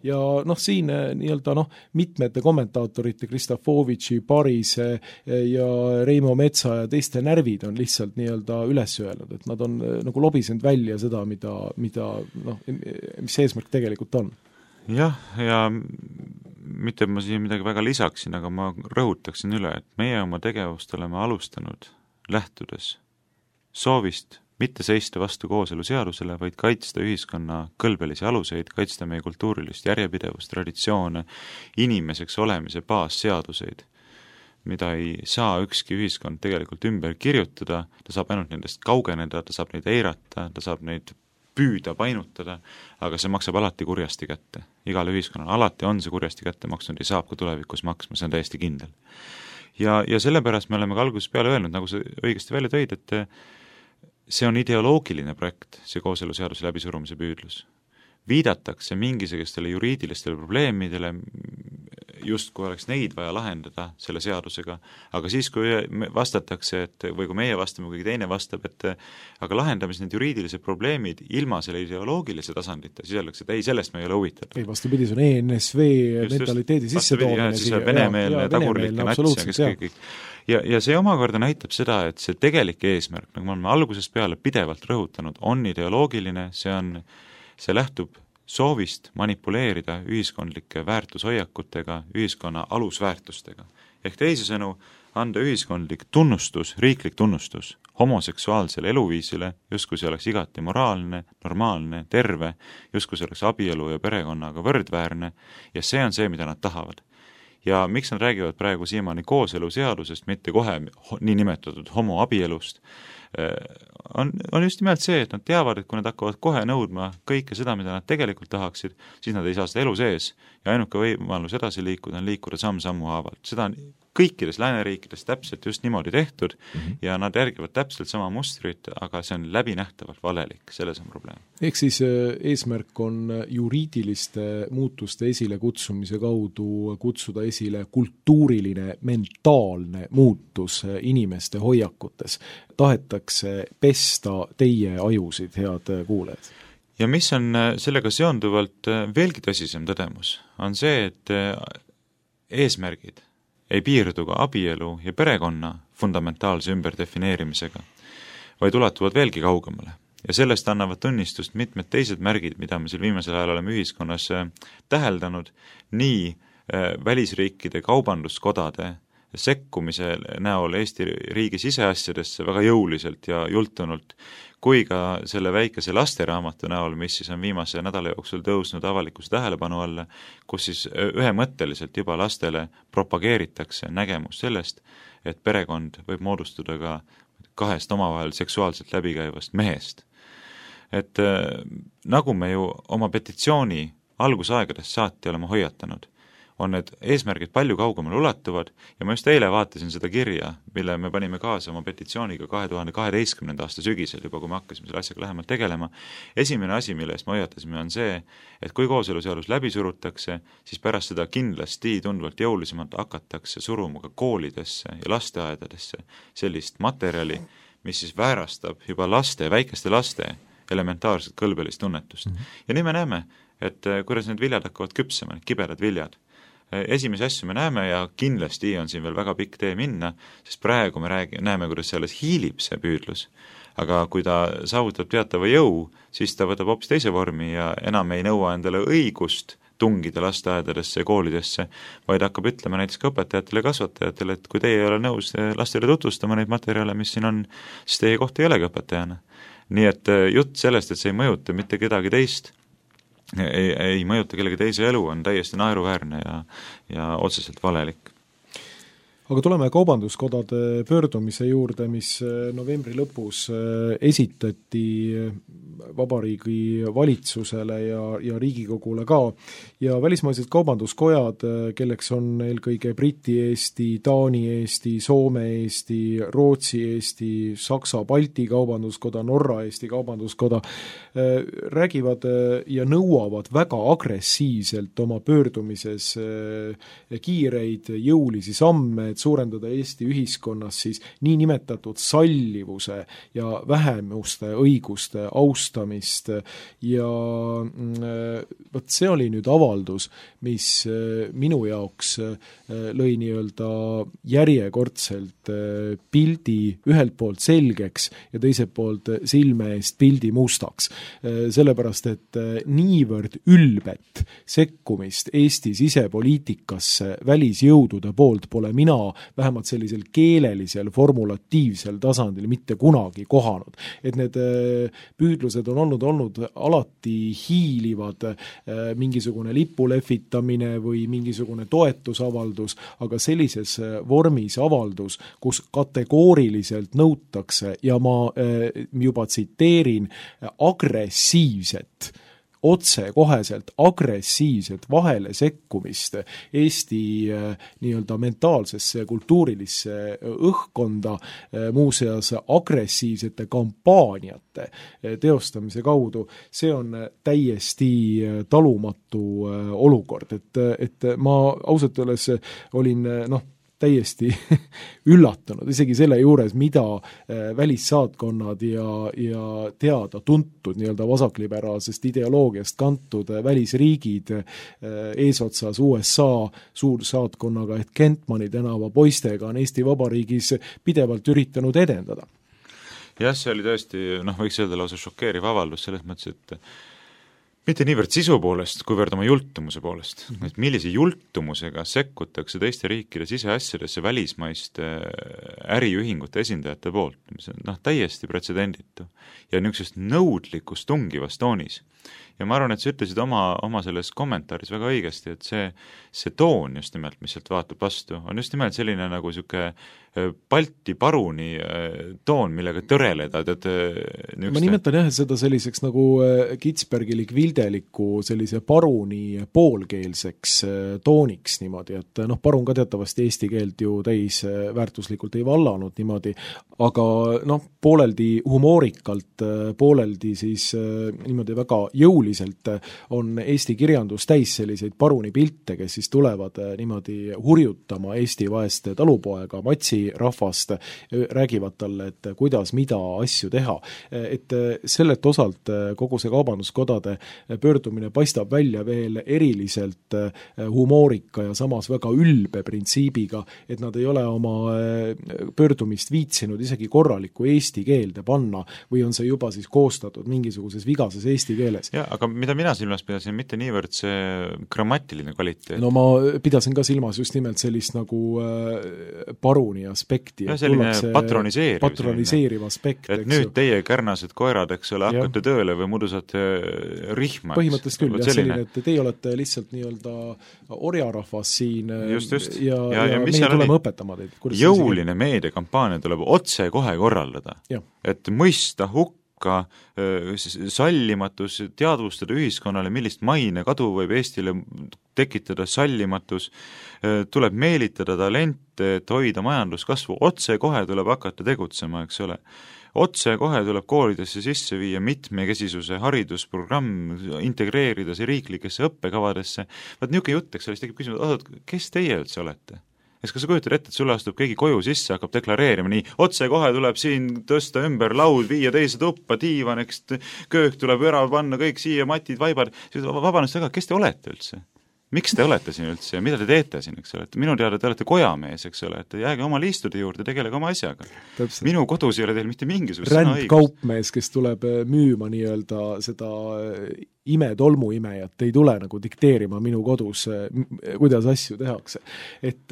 Ja siin nii-öelda mitmete kommentaatorite Kristofovitši, Parise ja Reimo Metsa ja teiste närvid on lihtsalt nii-öelda üles öelnud, et nad on nagu lobisenud välja seda, mis eesmärk tegelikult on. jah, ja mitte ma siin midagi väga lisaksin, aga ma rõhutaksin üle, et meie oma tegevust oleme alustanud lähtudes soovist mitte seista vastu kooseluseadusele, vaid kaitsta ühiskonna kõlbelisi aluseid, kaitsta meie kultuurilist järjepidevust, traditsioone, inimeseks olemise baasseaduseid, mida ei saa ükski ühiskond tegelikult ümber kirjutada, ta saab ainult nendest kaugeneda, ta saab neid eirata, ta saab neid püüda painutada, aga see maksab alati kurjasti kätte. Igal ühiskonnal alati on see kurjasti kätte maksnud ja saab ka tulevikus maksma, see on täiesti kindel. Ja sellepärast me oleme ka algusest peale öelnud, nagu sa õigesti välja tõid, et see on ideoloogiline projekt, see kooseluseaduse läbisurumise püüdlus. Viidatakse mingisugustele juriidilistele probleemidele, justkui oleks neid vaja lahendada selle seadusega, aga siis, kui vastatakse, või kui meie vastame, kui teine vastab, et aga lahendamis need juriidilised probleemid ilma selle ideoloogilise tasandita, siis öeldakse, et ei, sellest me ei ole huvitatud. Ei, vastupidi, see on ENSV mentaliteedi sissetoomine. Siis on venemeelne, tagurlik nats ja kõik. Ja see omakorda näitab seda, et see tegelik eesmärk, nagu me oleme algusest peale pidevalt rõhutanud, on ideoloogiline, see lähtub soovist manipuleerida ühiskondlike väärtushoiakutega, ühiskonna alusväärtustega. Ehk teisisõnu, anda ühiskondlik tunnustus, riiklik tunnustus homoseksuaalsele eluviisile, justkui see oleks igati moraalne, normaalne, terve, justkui see oleks abielu ja perekonnaga võrdväärne, ja see on see, mida nad tahavad. Ja miks nad räägivad praegu siiamaani kooseluseadusest, mitte kohe nii nimetatud homoabielust, on just nimelt see, et nad teavad, et kui nad hakkavad kohe nõudma kõike seda, mida nad tegelikult tahaksid, siis nad ei saa seda elu sees ja ainuke võimalus edasi liikuda on liikuda samm-sammu haavalt. Seda on kõikides lääneriikides täpselt just niimoodi tehtud ja nad järgivad täpselt sama mustrit, aga see on läbinähtavalt valelik, selles on probleem. Ehk siis eesmärk on juriidiliste muutuste esile kutsumise kaudu kutsuda esile kultuuriline, mentaalne muutus inimeste hoiakutes. Tahetakse pesta teie ajusid, head kuulajad. Ja mis on sellega seonduvalt veelgi tõsisem tõdemus, on see, et eesmärgid ei piirdu ka abielu ja perekonna fundamentaalse ümberdefineerimisega, vaid ulatuvad veelgi kaugemale. Ja sellest annavad tunnistust mitmed teised märgid, mida me seal viimasel ajal oleme ühiskonnas täheldanud, nii välisriikide kaubanduskodade sekkumise näol Eesti riigi siseasjadesse väga jõuliselt ja jultunult, kui ka selle väikese lasteraamatu näol, mis siis on viimase nädala jooksul tõusnud avalikkuse tähelepanu alla, kus siis ühemõtteliselt juba lastele propageeritakse nägemus sellest, et perekond võib moodustuda ka kahest omavahel seksuaalselt läbikäivast mehest. Et nagu me ju oma petitsiooni algusaegadest saati oleme hoiatanud, on need eesmärgid palju kaugemale ulatuvad ja ma just eile vaatasin seda kirja, mille me panime kaasa oma petitsiooniga 2012. aasta sügisel, juba kui me hakkasime selle asjaga lähemalt tegelema. Esimene asi, mille eest me hoiatasime, on see, et kui kooseluseadus läbi surutakse, siis pärast seda kindlasti tunduvalt jõulisemalt hakatakse suruma ka koolidesse ja lasteaedadesse sellist materjali, mis siis väärastab juba väikeste laste elementaarset kõlbelist tunnetust. Ja nii me näeme, et kuidas need viljad hakkavad küpsema, need kibedad viljad. Esimese asju me näeme ja kindlasti on siin veel väga pikk tee minna, sest praegu me näeme, kuidas selles hiilib see püüdlus. Aga kui ta saavutab teatava jõu, siis ta võtab hoopis teise vormi ja enam ei nõua endale õigust tungida lasteaedadesse ja koolidesse, vaid hakkab ütlema näiteks ka õpetajatele ja kasvatajatele, et kui teie ei ole nõus lastele tutvustama neid materjale, mis siin on, siis teie kohta ei olegi õpetajana. Nii et jutt sellest, et see ei mõjuta mitte kedagi teist, ei mõjuta kellegi teise elu, on täiesti naeruväärne ja otseselt valelik. Aga tuleme kaubanduskodade pöördumise juurde, mis novembri lõpus esitati Vabariigi valitsusele ja Riigikogule ka. Ja välismaised kaubanduskojad, kelleks on eelkõige Briti Eesti, Taani Eesti, Soome Eesti, Rootsi Eesti, Saksa, Balti kaubanduskoda, Norra Eesti kaubanduskoda, räägivad ja nõuavad väga agressiivselt oma pöördumises kiireid jõulisi samme, et suurendada Eesti ühiskonnas siis nii nimetatud sallivuse ja vähemuste õiguste austamist mustamist ja võt see oli nüüd avaldus, mis minu jaoks lõi nii-öelda järjekordselt pildi ühelt poolt selgeks ja teiselt poolt silme eest pildi mustaks. Sellepärast, et niivõrd ülbet sekkumist Eesti sisepoliitikasse välisjõudude poolt pole mina vähemalt sellisel keelelisel, formulatiivsel tasandil mitte kunagi kohanud. Et need püüdlused on olnud alati hiilivad, mingisugune lipu lehvitamine või mingisugune toetusavaldus, aga sellises vormis avaldus, kus kategooriliselt nõutakse ja ma juba tsiteerin agressiivset, otsekoheselt agressiivset vahele sekkumist Eesti nii-öelda mentaalsesse kultuurilisse õhkkonda, muuseas agressiivsete kampaaniate teostamise kaudu, see on täiesti talumatu olukord, et ma ausalt öeldes olin täiesti üllatunud, isegi selle juures, mida välissaatkonnad ja teada-tuntud nii-öelda vasakliberaalsest ideoloogiast kantud välisriigid eesotsas USA suursaatkonnaga ehk Kentmani tänava poistega on Eesti Vabariigis pidevalt üritanud edendada. Jah, see oli tõesti, võiks öelda lausa šokeeriv avaldus selles mõttes, et mitte niivõrd sisu poolest, kuivõrd oma jultumuse poolest. Et millise jultumusega sekkutakse teiste riikide siseasjadesse välismaiste äriühingute esindajate poolt, mis on täiesti pretsedenditu ja niisugusest nõudlikust tungivas toonis. Ja ma arvan, et sa ütlesid oma selles kommentaaris väga õigesti, et see toon just nimelt, mis sealt vaatab vastu, on just nimelt selline nagu niisugune Balti paruni toon, millega tõreleda. Ma nimetan jah, seda selliseks nagu kitspergilik-vildeliku sellise paruni poolkeelseks tooniks niimoodi, et parun ka teatavasti eesti keelt ju täis väärtuslikult ei vallanud niimoodi, aga pooleldi humoorikalt, pooleldi siis niimoodi väga jõuliselt on Eesti kirjandus täis selliseid paruni pilte, kes siis tulevad niimoodi hurjutama Eesti vaeste talupoega Matsi rahvast, räägivad talle, et kuidas, mida asju teha. Et sellelt osalt kogu see kaubanduskodade pöördumine paistab välja veel eriliselt humoorika ja samas väga ülbe printsiibiga, et nad ei ole oma pöördumist viitsinud isegi korralikku eesti keelde panna või on see juba siis koostatud mingisuguses vigases eesti keeles. Ja, aga mida mina silmas pidasin, mitte niivõrd see grammatiline kvaliteet. No ma pidasin ka silmas just nimelt sellist nagu paruni aspekti. Ja selline patroniseeriv aspekt. Et nüüd teie kärnased koerad, eks ole, hakkate tööle või muidu saate rihma. Põhimõtteliselt küll, jah, selline, et teie olete lihtsalt nii-öelda orjarahvas siin just. Ja meie tuleme õpetama teid. Jõuline meediakampaania tuleb otse kohe korraldada. Et mõista hukka sallimatus, teadvustada ühiskonnale, millist maine kadu võib Eestile tekitada sallimatus, tuleb meelitada talente, et hoida majanduskasvu, otse kohe tuleb hakata tegutsema, eks ole. Otse kohe tuleb koolidesse sisse viia mitmekesisuse haridusprogramm, integreerida see riiklikesse õppekavadesse. Vaat niisugune jutt, eks ole, siis tekib küsimus, kes teie üldse olete? Kas sa kujutad ette, et sulle astub keegi koju sisse, hakkab deklareerima nii, otse kohe tuleb siin tõsta ümber laud, viia teise tuppa, diivan, eks köök tuleb ära panna, kõik siia, matid, vaibad, vabandust väga, kes te olete üldse? Miks te olete siin üldse ja mida te teete siin, eks ole? Minu teada te olete kojamees, eks ole, et jääge oma liistude juurde, tegelege oma asjaga. Täpselt. Minu kodus ei ole teil mitte mingisugust rändkaupmees, kes tuleb müüma nii-öelda seda tolmuimejat, ei tule nagu dikteerima minu kodus, kuidas asju tehakse. Et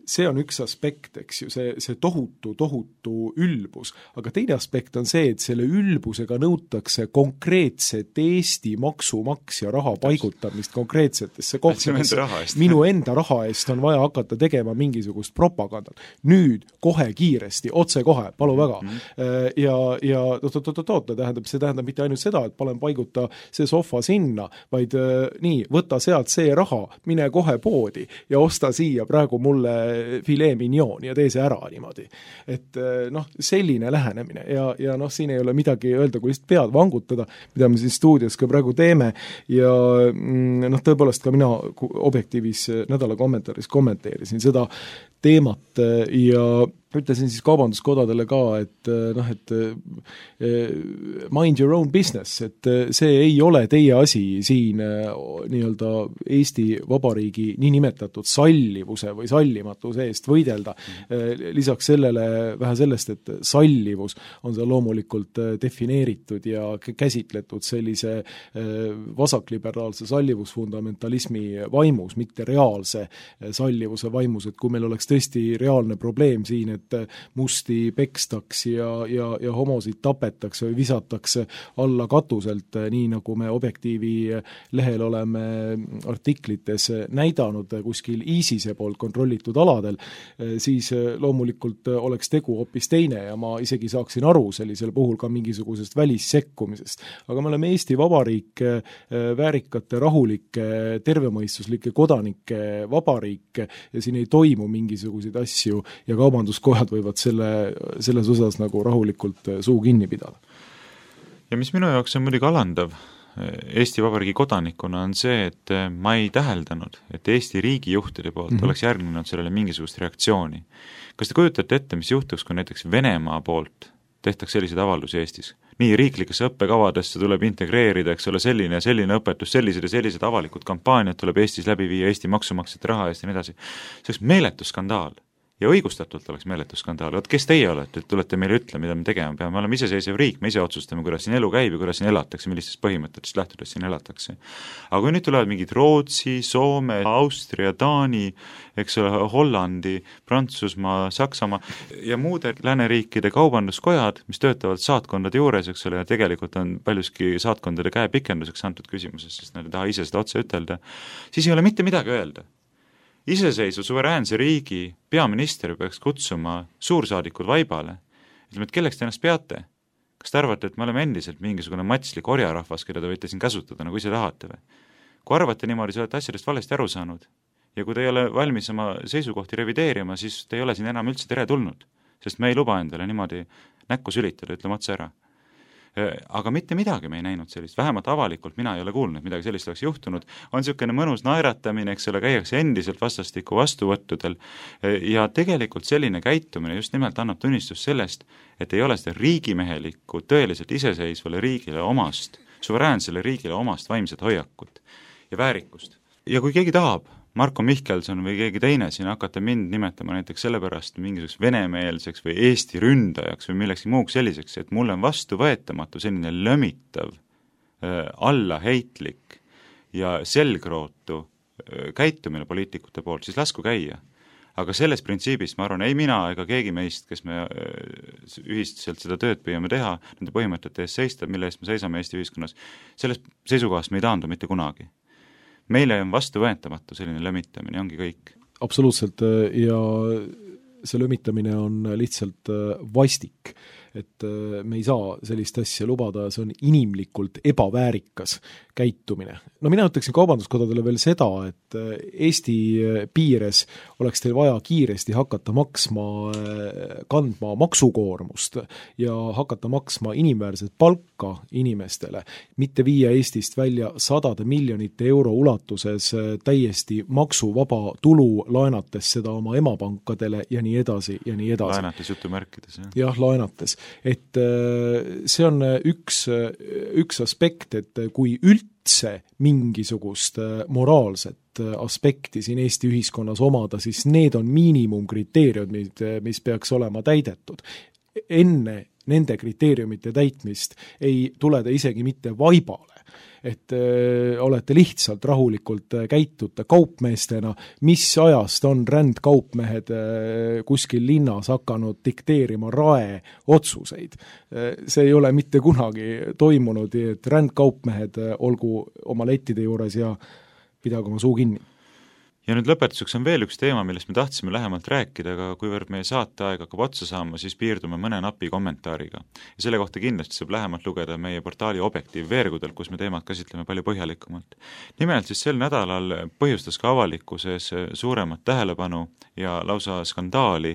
see on üks aspekt, eks ju, see tohutu ülbus, aga teine aspekt on see, et selle ülbusega nõutakse konkreetset Eesti maksumaksja raha paigutamist konkreetsetesse kohtadesse. Minu enda raha eest on vaja hakata tegema mingisugust propagandat. Nüüd, kohe kiiresti, otse kohe, palu väga. Ja see tähendab mitte ainult seda, et panen paiguta see sohva sinna, vaid nii, võta sealt see raha, mine kohe poodi ja osta siia praegu mulle filet mignon ja tee see ära niimoodi. Et selline lähenemine ja siin ei ole midagi öelda, kui lihtsalt pead vangutada, mida me siin stuudios ka praegu teeme ja tõepoolest ka mina Objektiivis nädala kommentaaris kommenteerisin seda teemat ja ütlesin siis kaubanduskodadele ka, et mind your own business, et see ei ole teie asi siin nii-öelda Eesti Vabariigi niinimetatud sallivuse või sallimatuse eest võidelda. Lisaks sellele vähe sellest, et sallivus on seal loomulikult defineeritud ja käsitletud sellise vasakliberaalse sallivusfundamentalismi vaimus, mitte reaalse sallivuse vaimus, et kui meil oleks tõesti reaalne probleem siin, et musti pekstaks ja homosid tapetakse või visatakse alla katuselt, nii nagu me Objektiivi lehel oleme artiklites näidanud kuskil ISISe poolt kontrollitud aladel, siis loomulikult oleks tegu hoopis teine ja ma isegi saaksin aru sellisel puhul ka mingisugusest välissekkumisest. Aga me oleme Eesti Vabariik, väärikate, rahulike, tervemõistuslike kodanike vabariik ja siin ei toimu mingisuguseid asju ja kaubanduskojad võivad selles osas nagu rahulikult suu kinni pidada. Ja mis minu jaoks on muidugi alandav Eesti Vabariigi kodanikuna on see, et ma ei täheldanud, et Eesti riigijuhtide poolt oleks järgnenud sellele mingisugust reaktsiooni. Kas te kujutate ette, mis juhtuks, kui näiteks Venemaa poolt tehtaks selliseid avaldusi Eestis? Nii riiklikesse õppekavadesse tuleb integreerida, eks ole, selline ja selline õpetus, sellised avalikud kampaaniad tuleb Eestis läbi viia Eesti maksumaksjate raha eest ja nii edasi. See oleks meeletu skandaal. Ja õigustatult oleks meeletu skandaal. Oot, kes teie olete, et tulete meile ütle, mida me tegema peame? Me oleme iseseisev riik, me ise otsustame, kuidas siin elu käib ja kuidas siin elatakse, millistest põhimõtetest lähtudes siin elatakse. Aga kui nüüd tulevad mingid Rootsi, Soome, Austria, Taani, eks ole, Hollandi, Prantsusmaa, Saksamaa ja muude lääneriikide kaubanduskojad, mis töötavad saatkondade juures, eks ole, ja tegelikult on paljuski saatkondade käepikenduseks antud küsimuses, sest nad ei taha ise seda otse ütelda, siis ei ole mitte midagi öelda. Iseseisvu suveräänse riigi peaminister peaks kutsuma suursaadikud vaibale. Ütleme, et kelleks te ennast peate? Kas te arvate, et me oleme endiselt mingisugune matslik orjarahvas, keda te võite siin käsutada, nagu ise tahate või? Kui arvate niimoodi, sa olete asjadest valesti aru saanud ja kui te ei ole valmis oma seisukohti revideerima, siis te ei ole siin enam üldse tere tulnud, sest me ei luba endale niimoodi näkku sülitada, ütleme otse ära. Aga mitte midagi me ei näinud sellist, vähemalt avalikult mina ei ole kuulnud, midagi sellist oleks juhtunud, on niisugune mõnus naeratamine, eks ole, käiakse endiselt vastastiku vastuvõttudel ja tegelikult selline käitumine just nimelt annab tunnistus sellest, et ei ole seda riigimehelikku, tõeliselt iseseisvale riigile omast, suveräänsele riigile omast vaimset hoiakut ja väärikust. Ja kui keegi tahab, Marko Mihkelson või keegi teine siin hakata mind nimetama näiteks sellepärast mingisuguseks venemeelseks või Eesti ründajaks või millekski muuks selliseks, et mulle on vastuvõetamatu selline lömitav, allaheitlik ja selgrootu käitumine poliitikute poolt, siis lasku käia. Aga selles printsiibis ma arvan, ei mina ega keegi meist, kes me ühiselt seda tööd püüame teha, nende põhimõtete eest seista, mille eest me seisame Eesti ühiskonnas, selles seisukohast me ei taandu mitte kunagi. Meile on vastuvõetamatu selline lömitamine, ongi kõik. Absoluutselt, ja see lömitamine on lihtsalt vastik, et me ei saa sellist asja lubada, see on inimlikult ebaväärikas käitumine. No mina ütleksin kaubanduskodadele veel seda, et Eesti piires oleks teil vaja kiiresti hakata kandma maksukoormust ja hakata maksma inimväärset palka inimestele, mitte viia Eestist välja 100 miljonite euro ulatuses täiesti maksuvaba tulu, laenates seda oma emapankadele ja nii edasi ja nii edasi. Laenates jutumärkides, jah? Jah, laenates. Et see on üks aspekt, et kui üldse mingisugust moraalset aspekti siin Eesti ühiskonnas omada, siis need on miinimumkriteeriumid, mis peaks olema täidetud. Enne nende kriteeriumite täitmist ei tule ta isegi mitte vaibale, et olete lihtsalt rahulikult käitute kaupmeestena, mis ajast on rändkaupmehed kuskil linnas hakanud dikteerima rae otsuseid. See ei ole mitte kunagi toimunud, et rändkaupmehed olgu oma lettide juures ja pidagu oma suu kinni. Ja nüüd lõpetuseks on veel üks teema, millest me tahtsime lähemalt rääkida, aga kuivõrd meie saateaeg hakkab otsa saama, siis piirdume mõne napi kommentaariga. Ja selle kohta kindlasti saab lähemalt lugeda meie portaali Objektiiv veergudel, kus me teemat käsitleme palju põhjalikumalt. Nimelt siis sel nädalal põhjustas ka avalikkuses suuremat tähelepanu ja lausa skandaali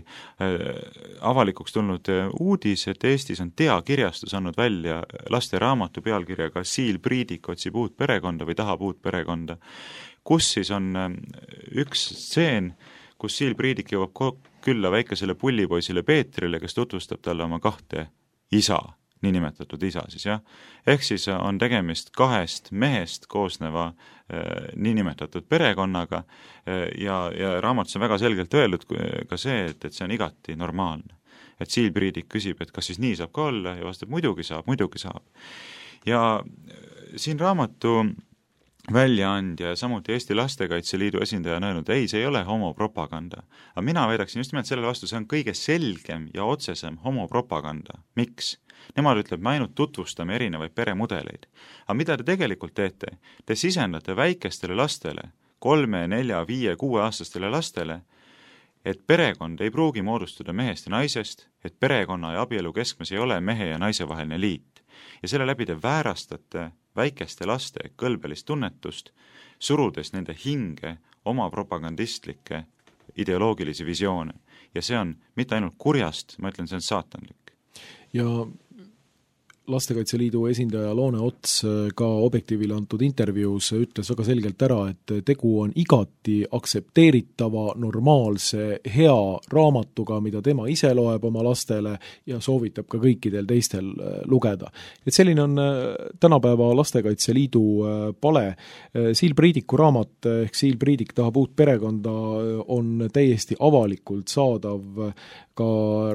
avalikuks tulnud uudis, et Eestis on teakirjastus andnud välja lasteraamatu pealkirjaga Siil Priidik otsib uut perekonda või tahab uut perekonda, kus siis on üks stseen, kus Siil Priidik jõuab külla väikesele pullipoisile Peetrile, kes tutvustab talle oma kahte isa, niinimetatud isa siis, jah. Ehk siis on tegemist kahest mehest koosneva niinimetatud perekonnaga ja raamatus on väga selgelt öeldud ka see, et see on igati normaalne. Et Siil Priidik küsib, et kas siis nii saab ka olla ja vastab, muidugi saab. Ja siin raamatu väljaandja ja samuti Eesti Lastekaitse Liidu esindaja on öelnud, ei, see ei ole homopropaganda. Aga mina väidaksin just nimelt selle vastu, see on kõige selgem ja otsesem homopropaganda. Miks? Nemad ütleb, me ainult tutvustame erinevaid peremudeleid. Aga mida te tegelikult teete? Te sisendate väikestele lastele, 3, 4, 5, 6 aastastele lastele, et perekond ei pruugi moodustuda mehest ja naisest, et perekonna ja abielu keskmes ei ole mehe ja naise vaheline liit. Ja selle läbi te väärastate väikeste laste kõlbelist tunnetust, surudes nende hinge oma propagandistlikke ideoloogilisi visioone. Ja see on mitte ainult kurjast, ma ütlen, see on saatanlik. Ja Lastekaitse Liidu esindaja Loone Ots ka Objektiivile antud intervjuus ütles väga selgelt ära, et tegu on igati aktsepteeritava, normaalse, hea raamatuga, mida tema ise loeb oma lastele ja soovitab ka kõikidel teistel lugeda. Et selline on tänapäeva Lastekaitse Liidu pale. Siil Priidiku raamat ehk Siil Priidik tahab uut perekonda on täiesti avalikult saadav ka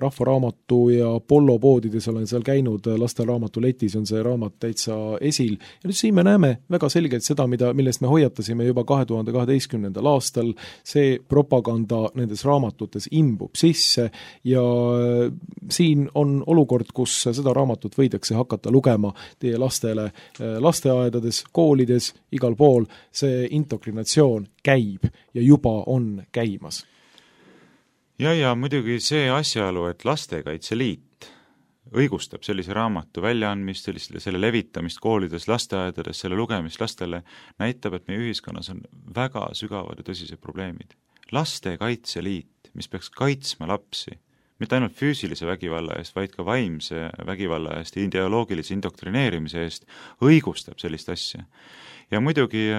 Rahvaraamatu ja Pollo poodides, olen seal käinud, lasteraamatu letis on see raamat täitsa esil. Ja nüüd siin me näeme väga selgelt seda, millest me hoiatasime juba 2012. aastal, see propaganda nendes raamatutes imbub sisse ja siin on olukord, kus seda raamatut võidakse hakata lugema teie lastele lasteaedades, koolides, igal pool. See indoktrinatsioon käib ja juba on käimas. Ja muidugi see asjaolu, et Lastekaitse Liit õigustab sellise raamatu väljaandmist, selle levitamist koolides, lasteaedades, selle lugemist lastele, näitab, et meie ühiskonnas on väga sügavad ja tõsised probleemid. Lastekaitse Liit, mis peaks kaitsma lapsi, mitte ainult füüsilise vägivalla eest, vaid ka vaimse vägivalla eest ja ideoloogilise indoktrineerimise eest, õigustab sellist asja. Ja muidugi,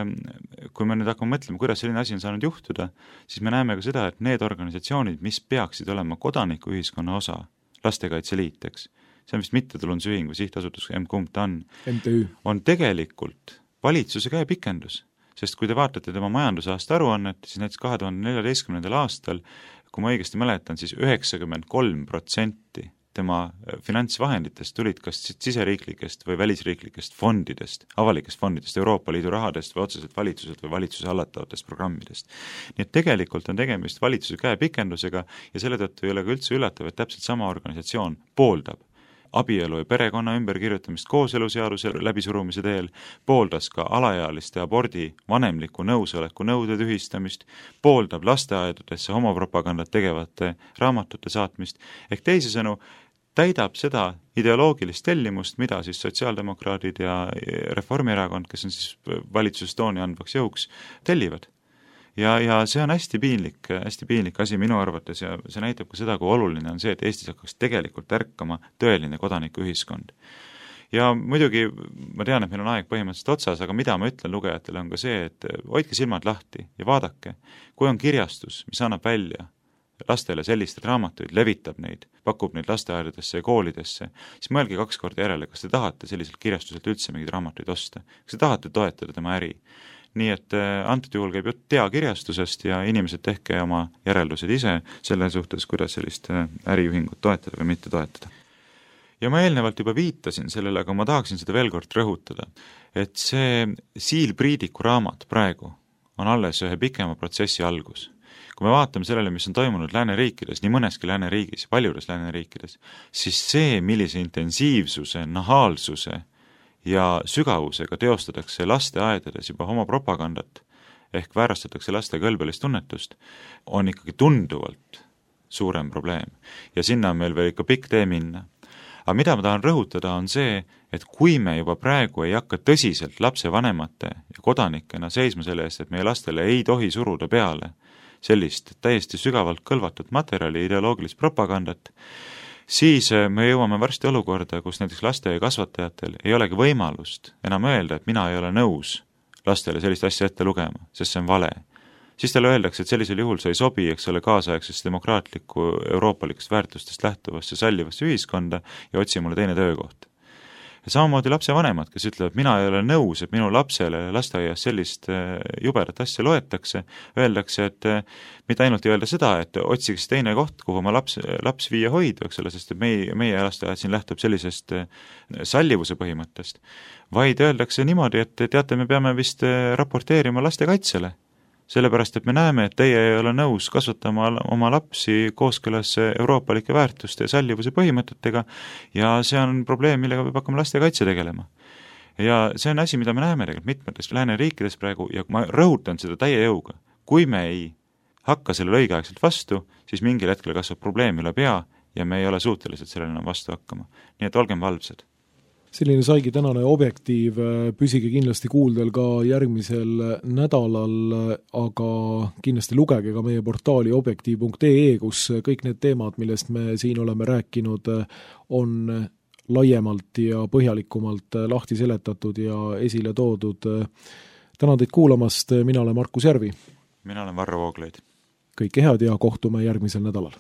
kui me nüüd hakkame mõtlema, kuidas selline asi on saanud juhtuda, siis me näeme ka seda, et need organisatsioonid, mis peaksid olema kodanikuühiskonna osa, Lastekaitse Liit, eks, see on vist mittetulundusühing või sihtasutus, kumb ta on tegelikult valitsuse käepikendus. Sest kui te vaatate tema majandusaasta aruannet, siis näiteks 2014. aastal, kui ma õigesti mäletan, siis 93% tema finantsvahenditest tulid kas siseriiklikest või välisriiklikest fondidest, avalikest fondidest, Euroopa Liidu rahadest või otseselt valitsuselt või valitsuse hallatavatest programmidest. Nii et tegelikult on tegemist valitsuse käepikendusega ja selle tõttu ei ole ka üldse üllatav, et täpselt sama organisatsioon pooldab abielu ja perekonna ümberkirjutamist kooseluseaduse läbisurumise teel, pooldas ka alaealiste abordi vanemliku nõusoleku nõude tühistamist, pooldab lasteaedudesse homopropagandat tegevate raamatute saatmist, ehk teisisõnu täidab seda ideoloogilist tellimust, mida siis sotsiaaldemokraadid ja Reformierakond, kes on siis valitsuses tooni andvaks jõuks, tellivad. Ja see on hästi piinlik asi minu arvates ja see näitab ka seda, kui oluline on see, et Eestis hakkaks tegelikult ärkama tõeline kodanikuühiskond. Ja muidugi ma tean, et meil on aeg põhimõtteliselt otsas, aga mida ma ütlen lugejatele on ka see, et hoidke silmad lahti ja vaadake, kui on kirjastus, mis annab välja lastele sellised raamatuid, levitab neid, pakub neid lasteaedadesse ja koolidesse, siis mõelge 2 korda järele, kas te tahate selliselt kirjastuselt üldse mingeid raamatuid osta, kas te tahate toetada tema äri. Nii et antud juhul käib jutt teakirjastusest ja inimesed tehke oma järeldused ise selle suhtes, kuidas sellist äriühingut toetada või mitte toetada. Ja ma eelnevalt juba viitasin sellele, aga ma tahaksin seda veel kord rõhutada, et see Siil Priidiku raamat praegu on alles ühe pikema protsessi algus. Kui me vaatame sellele, mis on toimunud lääneriikides, nii mõneski lääneriigis, paljudes lääneriikides, siis see, millise intensiivsuse, nahaalsuse ja sügavusega teostatakse lasteaedades juba homopropagandat ehk väärastatakse laste kõlbelist tunnetust, on ikkagi tunduvalt suurem probleem. Ja sinna on meil veel ikka pikk tee minna. Aga mida ma tahan rõhutada on see, et kui me juba praegu ei hakka tõsiselt lapsevanemate ja kodanikena seisma selle eest, et meie lastele ei tohi suruda peale sellist täiesti sügavalt kõlvatud materjali, ideoloogilist propagandat, siis me jõuame varsti olukorda, kus näiteks laste ja kasvatajatel ei olegi võimalust enam öelda, et mina ei ole nõus lastele sellist asja ette lugema, sest see on vale. siis talle öeldakse, et sellisel juhul sa ei sobi, eks ole, kaasaegsest demokraatlikku euroopalikust väärtustest lähtuvasse sallivasse ühiskonda ja otsi mulle teine töökoht. Ja samamoodi lapsevanemad, kes ütlevad, mina ei ole nõus, et minu lapsele lasteaias sellist jubedat asja loetakse, öeldakse, et mitte ainult ei öelda seda, et otsiks teine koht, kuhu oma laps viia hoidu, eks ole, sest et meie lasteaiad siin lähtub sellisest sallivuse põhimõttest, vaid öeldakse niimoodi, et teate, me peame vist raporteerima lastekaitsele, sellepärast, et me näeme, et teie ei ole nõus kasvatama oma lapsi kooskõlas euroopalike väärtuste ja sallivuse põhimõtetega ja see on probleem, millega peab hakkama lastekaitse tegelema. Ja see on asi, mida me näeme tegelikult mitmetes lääneriikides praegu ja ma rõhutan seda täie jõuga. Kui me ei hakka sellele õigeaegselt vastu, siis mingil hetkel kasvab probleem üle pea ja me ei ole suutelised sellele enam vastu hakkama. Nii et olgem valvsad. Selline saigi tänane Objektiiv, püsige kindlasti kuuldel ka järgmisel nädalal, aga kindlasti lugege ka meie portaali objektiiv.ee, kus kõik need teemad, millest me siin oleme rääkinud, on laiemalt ja põhjalikumalt lahti seletatud ja esile toodud. Tänan teid kuulamast, mina olen Markus Järvi. Mina olen Varro Vooglaid. Kõike head ja kohtume järgmisel nädalal.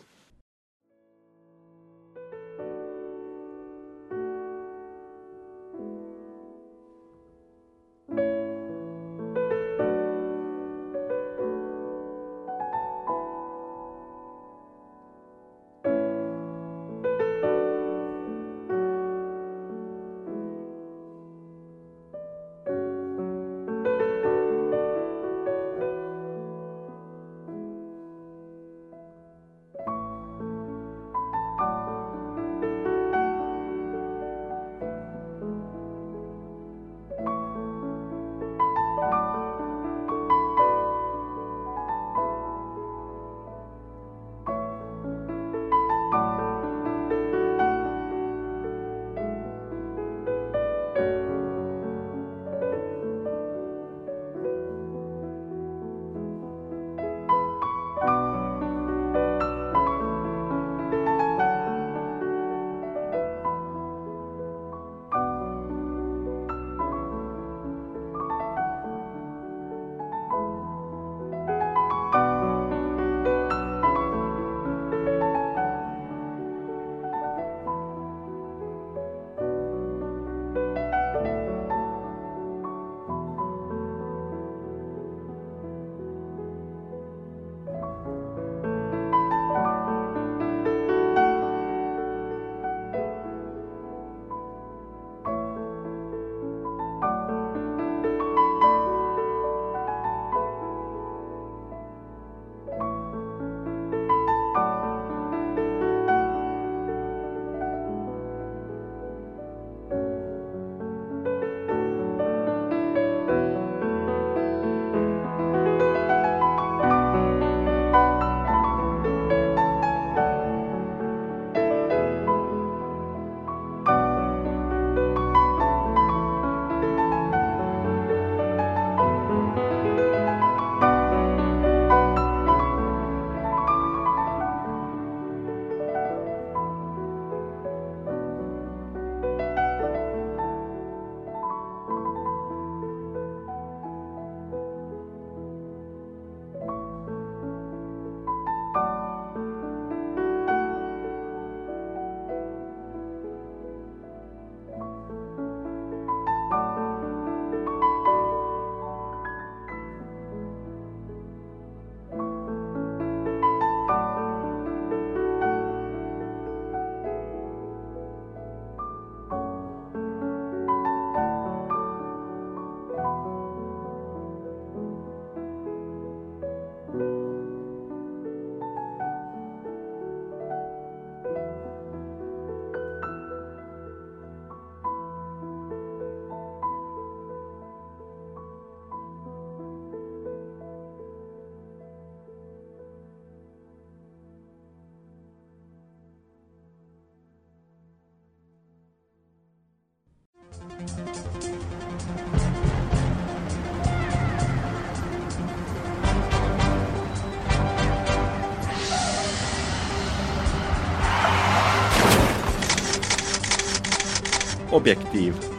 Objektiiv.